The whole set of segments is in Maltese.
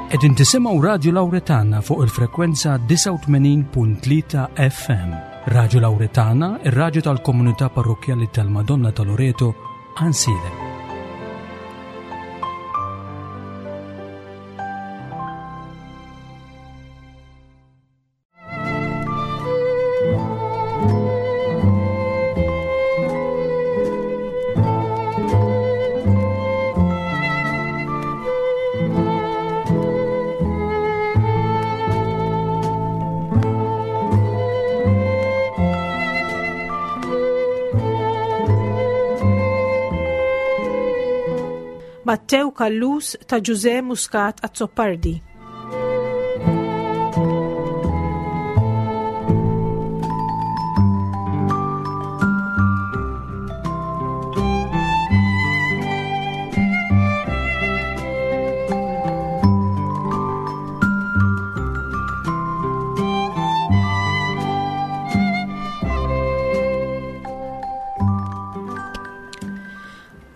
Qegħdin tisimgħu Radju Lawretana fuq il-frekwenza 89.3 FM. Radju Lawretana, ir-radju tal-komunità parrokkjali tal-Madonna ta' Loreto, Ansilem. Mattew Callus ta' Ġużè Muscat Azzopardi.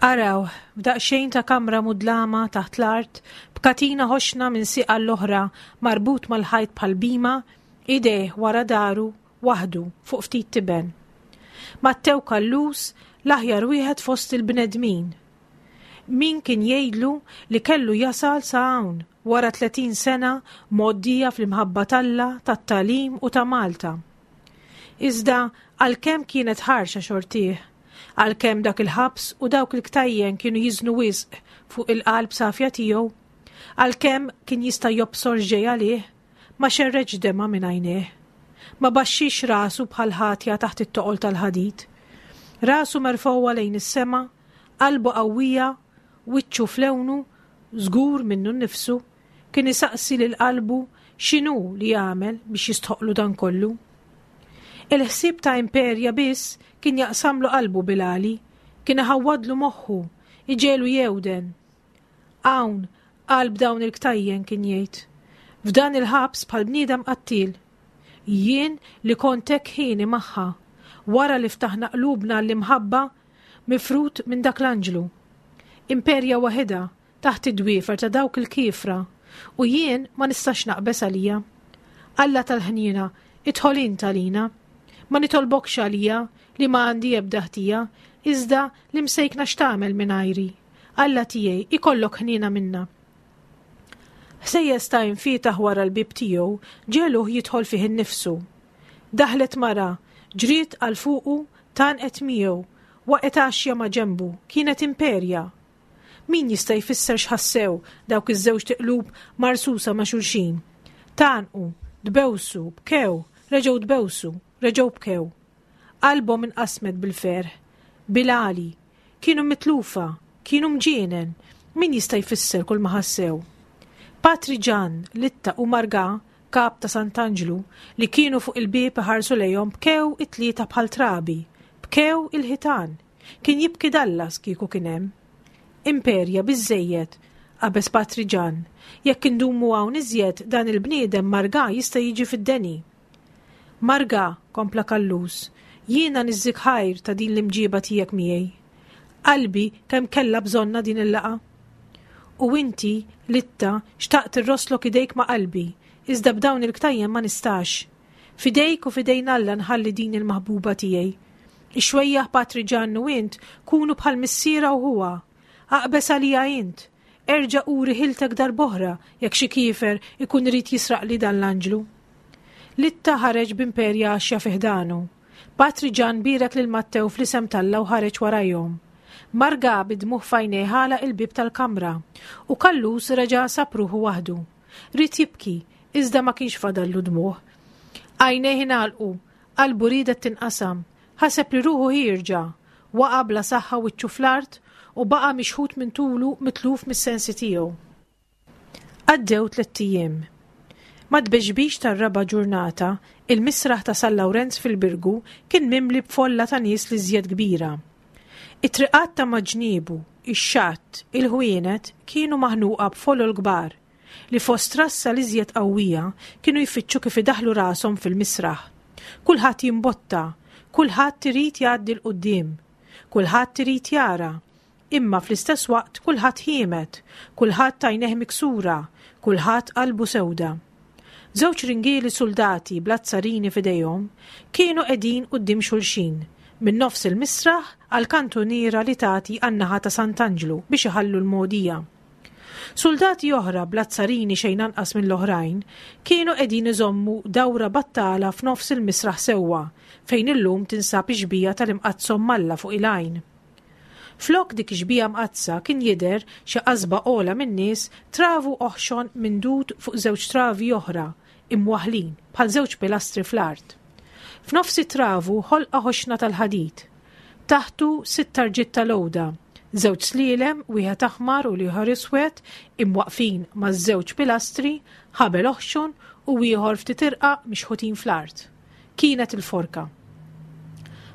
Araw, f'daqsxejn ta' kamra mudlama taħt l-art, b'katina ħoxna minn sieq għall-oħra marbut mal-ħajt bħal bima, idejh wara daru, waħdu, fuq ftit tiben. Mattew Callus, l-aħjar wieħed fost il-bnedmin. Min kien jgħidlu li kellu jasal sa hawn, wara 30 sena mgħoddija fl-imħabba t'Alla, tat-tagħlim u ta' Malta. Iżda għalkemm kienet ħarxa xortih, għalkemm dak il-ħabs u dawk il-ktajjen kienu jiżnu wisq fuq il-qalb safja tiegħu, għalkemm kien jista' jobsor x'ġej għalih, ma xerredx demgħa minn għajnejh. Ma baxxiex rasu bħal ħatja taħt it-toqol tal-ħadid. Rasu merfgħuha lejn is-sema, qalbu qawwija, wiċċu f'lewnu, żgur minnu nnifsu, kien isaqsi lil qalbu x'inhu li għamel biex jistħoqqlu dan kollu. Il-ħsieb ta' Imperja biss kien jaqsamlu qalbu bil-għali, kien iħawwadlu moħħu, iġegħlu jewden. Hawn, qalb dawn il-ktajjen kien jgħid. F'dan il-ħabs bħal bniedem qattiel. Jien li kont hekk ħieni magħha, wara li ftaħna qlubna għall-imħabba, mifrud minn dak l-anġlu. Imperja waħidha, taħt id-dwiefer ta' dawk il-kiefra, u jien ma nistax naqbeż għalija. Alla tal-ħniena, idħol int għalina. Ma nitolbokx għalija li ma għandi ebda ħtija, iżda l-imsejkna x'tagħmel mingħajri. Alla tiegħi, ikollok ħniena minna. Ħsejjes ta' infietaħ wara l-bieb tiegħu ġegħluh jidħol fih innifsu. Daħlet mara, ġriet għal fuqu, tgħannqet miegħu, waqgħet għaxja ma' ġenbu, kienet Imperja. Min jista' jfisser x'ħassew dawk iż-żewġt iqlub marsusa ma' xulxin? Tgħannqu, tbewsu, bkew, reġgħu tbewsu, reġgħu bkew. Qalbhom inqasmet bil-ferħ, bil-għali, Kienu mitlufa, kienu mġienen, min jista' jfisser kull ma ħassew? Patri Ġann, Litta u Margà, kap ta' Sant'Anġlu, li kienu fuq il-bieb iħarsu lejhom bkew it-tlieta bħal trabi, bkew il-ħitan. Kien jibki Dallas kieku kien hemm. Imperja, biżżejjed, qabeż Patri Ġann. Jekk indumu hawn iżjed, dan il-bniedem Margà jista' jiġi fid-deni. Marga, kompla Callus, jiena niżżik ħajr ta' din l-imġieba tiegħek miegħi. Qalbi kemm kellha bżonnha din il-laqgħa. U inti, Litta, xtaqt irrosslok idejk ma' qalbi, iżda b'dawn il-ktajjen ma nistax. F'idejk u f'idejn Alla nħalli din il-maħbuba tiegħi. Ix-xwejjaħ Patri Ġann u int kunu bħal missierha u ħuha. Aqbeż għalija int. Erġa' uri ħiltek darb'oħra jekk xi kiefer ikun irid jisraqli dan l-anġlu. Litta ħareġ b'imperja għaxja fi ħdanu. Patri Ġann bierek lil Mattew fl-isem t'Alla u ħareġ warajhom. Marga bid-dmugħ f'għajnejh għalaq il-bieb tal-kamra u Callus reġa' sab ruħu waħdu. Ried jibki, iżda ma kienx fadallu dmugħ. Għajnejh ingħalqu, qalbu riedet tinqasam, ħaseb li ruħu ħierġa. Waqa' bla saħħa wiċċu fl-art u baqa' mixħut minn tulu mitluf mis-sensi tiegħu. Għaddew tlett ijiem. Mat-tbexbix tar-raba' ġurnata, il-misraħ ta' San Lawrenz fil-Birgu kien mimli b'folla ta' nies l-iżjed kbira. It-triqat ta' ma' ġniebu, ix-xatt, il-ħwienet kienu maħnuqa b'folol kbar, li fost rassa l-iżjed qawwija kienu jfittxu kif idaħħlu rashom fil-misraħ. Kulħadd jimbotta, kulħadd irid jgħaddi 'l quddiem, kulħadd irid jara. Imma fl-istess waqt kulħadd ħiemed, kulħadd għajnejh miksura, kulħadd qalbu sewda. Żewġ ringieli suldati bl-azzarini f'idejhom kienu qegħdin quddiem xulxin, minn nofs il-misraħ għall-kantuniera li tagħti għan-naħa ta' Sant'Anġlu biex iħallu l-mogħdija. Suldati oħra bl-azzarini xejn anqas mill-oħrajn kienu qegħdin iżommu dawra battala f'nofs il-misraħ sewwa fejn illum tinsab ix-xbieha tal-Imqaddsa Omm Alla fuq il-għajn. Flok dik ix-xbieha mqaddsa kien jidher xi qasba ogħla min-nies, travu oħxon mindud fuq żewġ travi oħra, imwaħħlin, bħal żewġ pilastri fl-art. F'nofs it-travu ħolqa ħoxna tal-ħadid. Taħtu sitt tarġiet tal-għuda, żewġ slielem, wieħed aħmar u l-ieħor iswed, imwaqqfin maż-żewġ pilastri, ħabel oħxon u ieħor ftit irqaq mixħutin fl-art. Kienet il-forka.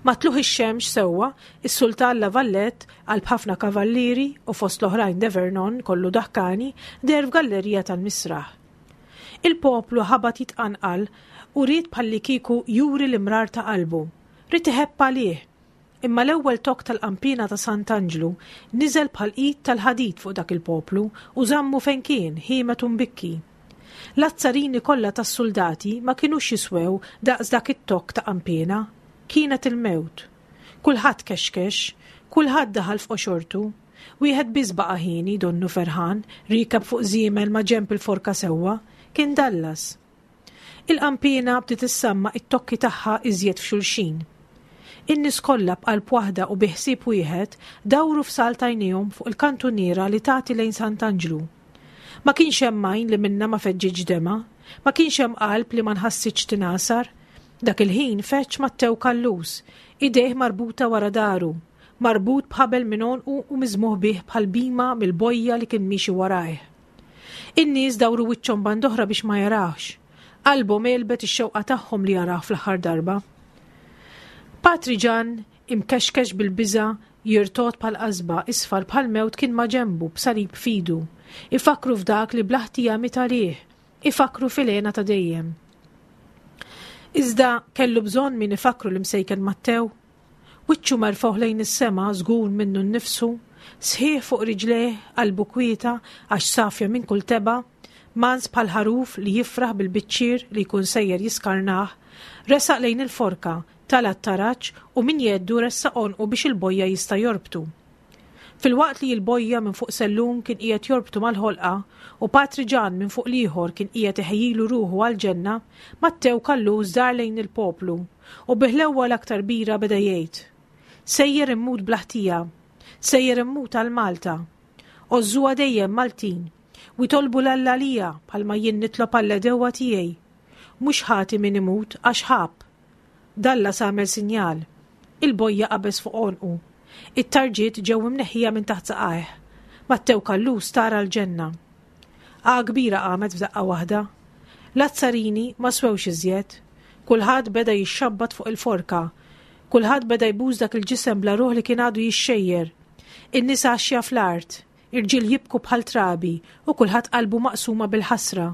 Ma' tlugħ ix-xemx sewwa, is-Sultan La Valette, qalb ħafna kavallieri u fost l-oħrajn de Vernon kollu daħkani, deher f'gallerija tal-misraħ. Il-poplu ħabat jitqanqal u ried bħallikieku juri l-imrar ta' qalbu. Ried iħebb għalih. Imma l-ewwel tokk tal-qanpiena ta' Sant'Anġlu niżel bħal id tal-ħadid fuq dak il-poplu u żammu fejn kien, ħiemed u mbikki. L-azzarini kollha tas-suldati ma kinux jiswew daqs dak it-tokk ta' qanpiena. Kienet il-mewt. Kulħadd kexkex. Kulħadd daħal f'qoxortu. Wieħed biss baqa' hieni, donnu ferħan, riekeb fuq żiemel ma' ġenb il-forka sewwa. Kien Dallas. Il-qanpiena bdiet issamma' t-tokki tagħha iżjed f'xulxin. In-nies kollha b'qalb waħda u bi ħsieb wieħed dawru f'salt għajnejhom fuq il-kantuniera li tagħti lejn Sant'Anġlu. Ma kienx hemm għajn li minnha ma feġġitx demgħa, ma kienx hemm qalb li ma nħassitx tingħasar. Dak il-ħin feġġ Mattew Callus, idejh marbuta wara daru, marbut b'ħabel minn għonqu u miżmugħ bih bħal bhima mill-bojja li kien miexi warajh. In-nies dawru wiċċhom band'oħra biex ma jarawhx. Qalbhom għelbet ix-xewqa tagħhom li jarawh fl-aħħar darba. Patri Ġann, imkexkex bil-biża', jirtogħod bħal qasba, isfar bħall-mewt kien maġenbu b'salib f'idu. Ifakkru f'dak li bla ħtija miet għalih. Ifakkru fil-hena ta' dejjem. Iżda kellu bżonn min ifakkru l-imsejken Mattew? Wiċċu merfugħ lejn is-sema, żgur minnu nnifsu, sħiħ fuq riġlejh, qalbu kwieta għax safja minn kull tebgħa, mans bħal ħaruf li jifraħ bil-biċċier li jkun sejjer jiskarnah, resaq lejn il-forka, tala' t-taraġ u minn jeddu ressaq għonqu biex il-bojja jista' jorbtu. Filwaqt li l-bojja minn fuq sellum kien qiegħed jorbtu mal-ħolqa u Patri Ġann minn fuq l-ieħor kien qiegħed iħejjilu ruħu għall-ġenna, Mattew Callus dar lejn il-poplu u bi ħlewwa l-aktar kbira beda jgħid, Sejjer immut bla ħtija. Sejjer immut għal Malta. Għożżuha dejjem, Maltin, u itolbu 'l Alla għalija bħalma jien nitlob għall-għedewwa tiegħi. Mhux ħati min imut għax ħabb. Dallas għamel sinjal. Il-bojja qabeż fuq għonqu. It-tarġiet ġew imneħħija minn taħt saqajh. Mattew Callus tar għall-ġenna. Għagħa kbira qamet f'daqqa waħda. L-azzarini ma swewx iżjed. Kulħadd beda jixxabbat fuq il-forka. Kulħadd beda jbus dak il-ġisem bla ruħ li kien għadu jixxejjer. In-nisa għaxja fl-art. Irġiel jibku bħal trabi u kulħadd qalbu maqsuma bil-ħasra.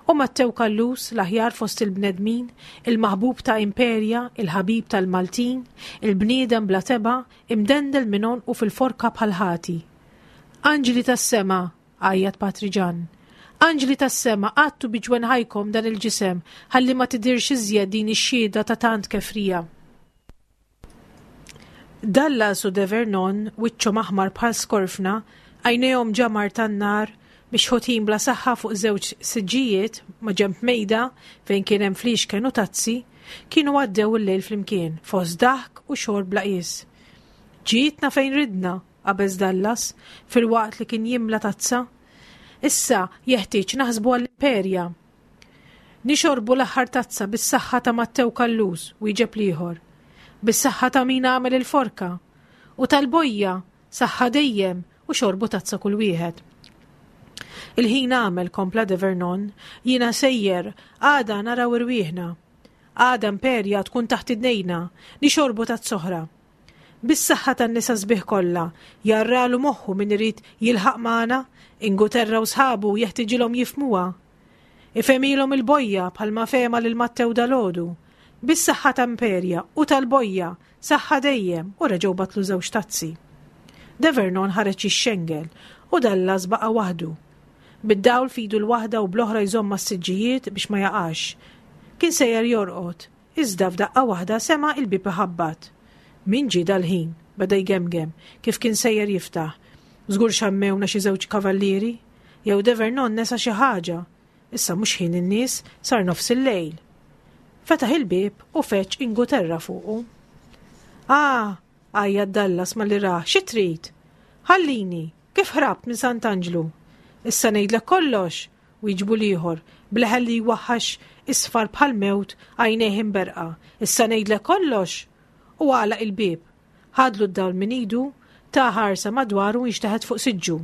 U Mattew Callus, l-aħjar fost il-bnedmin, il-maħbub ta' Imperia, il-ħabib tal-Maltin, il-bniedem bla tebgħa, imdendel minn għonqu fil-forka bħal ħati. Anġli tas-sema! għajjat Patri Ġann. Anġli tas-sema, għattu bi ġwenħajkom dan il-ġisem ħalli ma tidhirx iżjed din ix-xhieda ta' tant kefrija. Dallas u De Vernon, wiċċhom aħmar bħal skorfna, għajnejhom ġamar tan-nar, mixħutin bla saħħa fuq żewġ siġġijiet maġenb mejda fejn kien hemm fliexken u tazzi, kienu għaddew il-lejl flimkien, fost daħk u xorb bla qies. Ġietna fejn ridna, qabeż Dallas, filwaqt li kien jimla tazza. Issa jeħtieġ naħsbu għall-Imperja. Nixorbu l-aħħar tazza bis-saħħa ta' Mattew Callus, wieġeb l-ieħor. Bis-saħħa ta' min għamel il-forka. U tal-bojja, saħħa dejjem, u xorbu tazza kull wieħed. Il-ħin għamel, kompla De Vernon, jiena sejjer, għada naraw irwieħna. Għada Imperja tkun taħt idnejna, nixorbu tazza oħra. Bis-saħħa tan-nisa sbieħ kollha, jarralu moħħu min irid jilħaq magħna, Inguterra u sħabu jeħtiġilhom jifhmuha. Ifhemilhom il-bojja bħalma fehma lil Mattew dalgħodu. Bis-saħħa ta' Imperja u tal-bojja, saħħa dejjem, u reġgħu batlu żewġ tazzi. De Vernon ħareġ jixxengel u Dallas baqa' waħdu. Bid-dawl f'idu l-waħda u bl-oħra jżomm mas-siġġijiet biex ma jaqax. Kien sejjer jorqod, iżda f'daqqa waħda sema' il-bieb iħabbat. Min ġie dal-ħin? beda jgemgem, kif kien sejjer jiftaħ. Żgur xammewna xi żewġ kavallieri? Jew De Vernon nesa xi ħaġa? Issa mhux ħin in-nies, sar nofs il-lejl. Fetaħ il-bieb u feġġ Inguterra fuqu. Ah! għajjat Dallas malli rah, xi trid? Ħallini! Kif ħrabt minn Sant'Anġlu? Issa ngħidlek kollox! wieġbu l-ieħor, b'leħen li jwaħħax isfar bħall-mewt, għajnejh imberrqa. Issa ngħidlek kollox! U għalaq il-bieb. Ħadlu d-dawl minn idu, ta ħarsa madwaru u inxteħet fuq siġġu.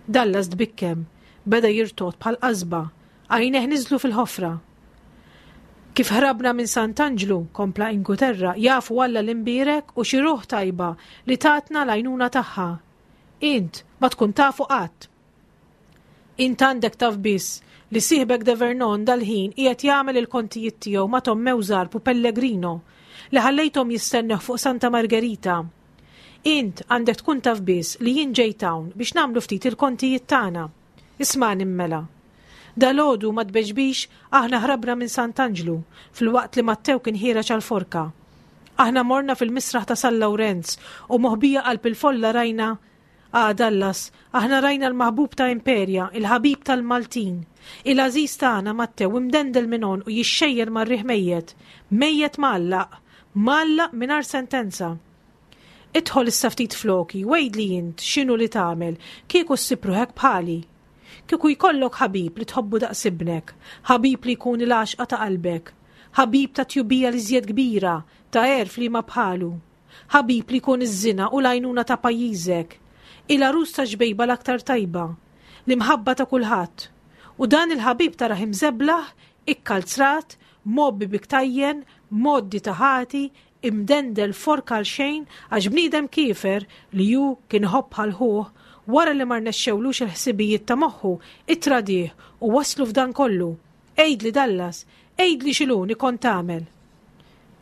Dallas tbikkem, beda jirtogħod bħal qasba, għajnejh niżlu fil-ħofra. Kif ħrabna minn Sant'Anġlu, kompla Inguterra, jafu Alla l-Imbierek u xi ruħ tajba li tatna l-għajnuna tagħha. Int ma tkun tafu qatt. Int għandek taf biss li sieħbek De Vernon dal-ħin qiegħed jagħmel il-kontijiet tiegħu ma' Tommew Zarb u Pellegrino li ħallejthom jistennewh fuq Santa Margherita. Int għandek tkun taf biss li jien ġejt hawn biex nagħmlu ftit il-kontijiet tagħna. Ismagħni mela. Dalgħodu ma tbeġbix aħna ħrabna minn Sant'Anġlu filwaqt li Mattew kien ħiereġ għall-forka. Aħna morna fil-misraħ ta' San Lawrenz u moħbija qalb il-folla rajna Ah, Dallas, aħna rajna l-maħbub ta' Imperia, il-ħabib tal-Maltin. Il-għażiż tagħna Mattew imdendel minn għonqu jixxejjer mar-riħ mejjet, mejjet mgħallaq, mgħallaq mingħajr sentenza. Idħol issa ftit floki u għidli int x'inhu li tagħmel kieku ssib ruħek bħali. Kieku jkollok ħabib li tħobbu daqs ibnek, ħabib li jkun il-għaxqa ta' qalbek, ħabib ta' tjubija l-iżjed kbira, ta' għerf liema bħalu, ħabib li jkun iż-żina u l-għajnuna ta' pajjiżek, il-għarus ta' xbejba l-aktar tajba, l-imħabba ta' kulħadd. U dan il-ħabib tarah imżeblaħ, ikkalzrat, mgħobbi bi ktajjen, mgħoddi ta' ħati, imdendel fork għal xejn għax bniedem kiefer li hu kien iħobb bħal ħuh, wara li ma rnexxewlux il-ħsibijiet ta' moħħu, ittradih u wasslu f'dan kollu. Għidli Dallas, għidli x'iluni kont tagħmel?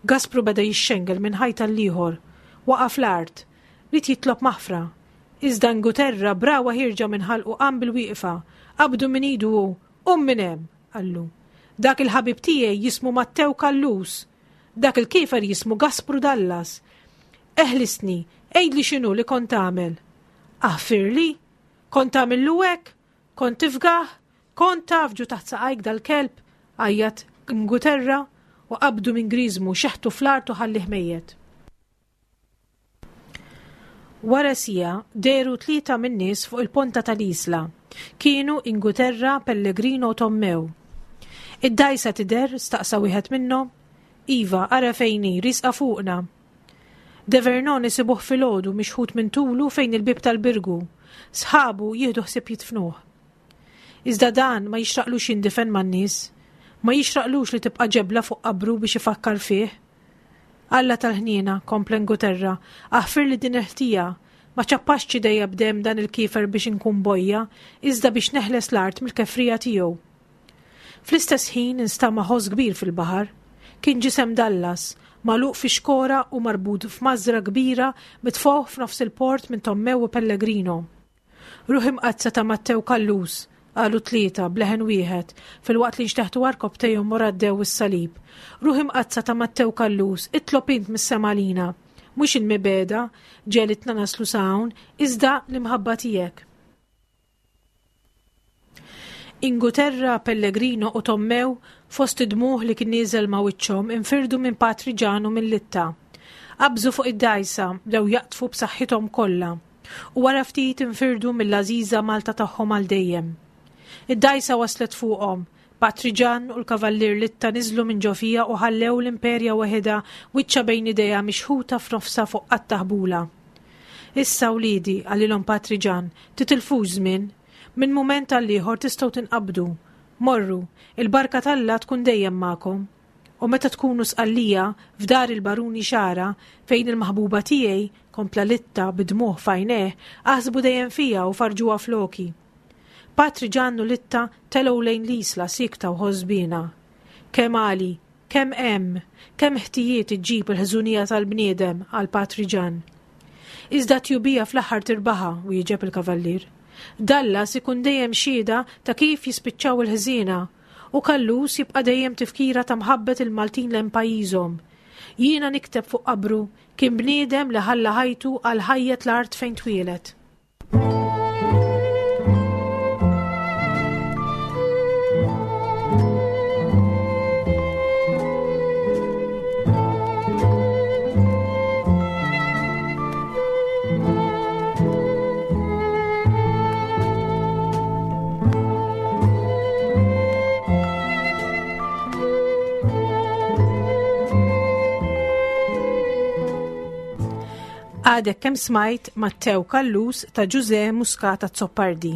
Gaspru beda jixxengel minn ħajt għall-ieħor. Waqa' fl-art. Ried jitlob maħfra. Iżda Inguterra b'ragħwa ħierġa minn ħalqu qam bil-wieqfa, qabdu minn idu u, Qum minn hemm! qallu. Dak il-ħabib tiegħi jismu Mattew Callus. Dak il-kiefer jismu Gaspru Dallas. Eħlisni, għidli x'inhu li kont tagħmel. Aħfirli? Kont tagħmillu hekk? Kont tifgah? Kont tafġu taħt saqajk dal-kelb? għajjat Nguterra u qabdu minn griżmu, xeħtu fl-art u ħallih mejjet. Wara siegħa dehru tlieta min-nies fuq il-ponta tal-Isla. Kienu Inguterra, Pellegrino u Tommew. Id-dgħajsa tidher? staqsa wieħed minnhom. Iva, ara fejn hi, riesqa fuqna. De Vernon isibuh filgħodu mixħut minn tulu fejn il-bieb tal-Birgu. Sħabu jieħdu ħsieb jidfnuh. Iżda dan ma jixraqlux jindifen man-nies. Ma jixraqlux li tibqa' ġebla fuq qabru biex ifakkar fih. Alla tal-ħniena, kompla Inguterra, aħfirli din il-ħtija. Ma ċappaxtx idejja b'demm dan il-kiefer biex inkun bojja, iżda biex neħles l-art mill-kefrija tiegħu. Fl-istess ħin instama' ħoss kbir fil-baħar. Kien ġisem Dallas, magħluq fi xkora u marbut f'mażra kbira mitfugħ f'nofs il-port minn Tommew u Pellegrino. Ruħ Imqaddsa ta' Mattew Callus, qalu t-tlieta b'leħen wieħed, filwaqt li nxteħtu għarkopptejhom u raddew is-salib. Ruħ Imqaddsa ta' Mattew Callus, itlob int mis-sema għalina. Mhux il-mibegħda ġegħlitna naslu sa hawn, iżda l-imħabba tiegħek. Inguterra, Pellegrino u Tommew, fost id-dmugħ li kien nieżel ma' wiċċhom, infirdu minn Patri Ġan u minn Litta. Qabżu fuq id-dgħajsa, bdew jaqdfu b'saħħithom kollha. U wara ftit infirdu mill-għażiża Malta tagħhom għal dejjem. Id-dgħajsa waslet fuqhom. Patri Ġann u l-Kavallier Litta niżlu minn ġo fiha u ħallew l-Imperja weħidha wiċċha bejn idejha mixħuta f'nofsha fuq qatta ħbula. Issa, wliedi, qalilhom Patri Ġann, titilfux żmien. Minn mument għall-ieħor tistgħu tinqabdu. Morru, il-barka t'Alla tkun dejjem magħkom. U meta tkunu Sqallija, f'dar il-Baruni Xara, fejn il-maħbuba tiegħi, kompla Litta bid-dmugħ f'għajnejh, aħsbu dejjem fija u farrġuha floki. Patri Ġann u Litta telgħu lejn l-Isla siekta u ħosbiena. Kemm għali, kemm hemm, kemm ħtijiet iġġib il-ħżunija tal-bniedem, qal Patri Ġann. Iżda t-tjubija fl-aħħar tirbaħha, wieġeb il-kavallier. Dallas ikun dejjem xhieda ta' kif jispiċċaw il-ħżiena, u Callus jibqa' dejjem tifkira ta' mħabbet il-Maltin lejn pajjiżhom. Jiena nikteb fuq qabru, kien bniedem li ħalla ħajtu għal ħajjet l-art fejn twieled. Għadek kemm smajt Mattew Callus ta' Ġużè Muscat Azzopardi.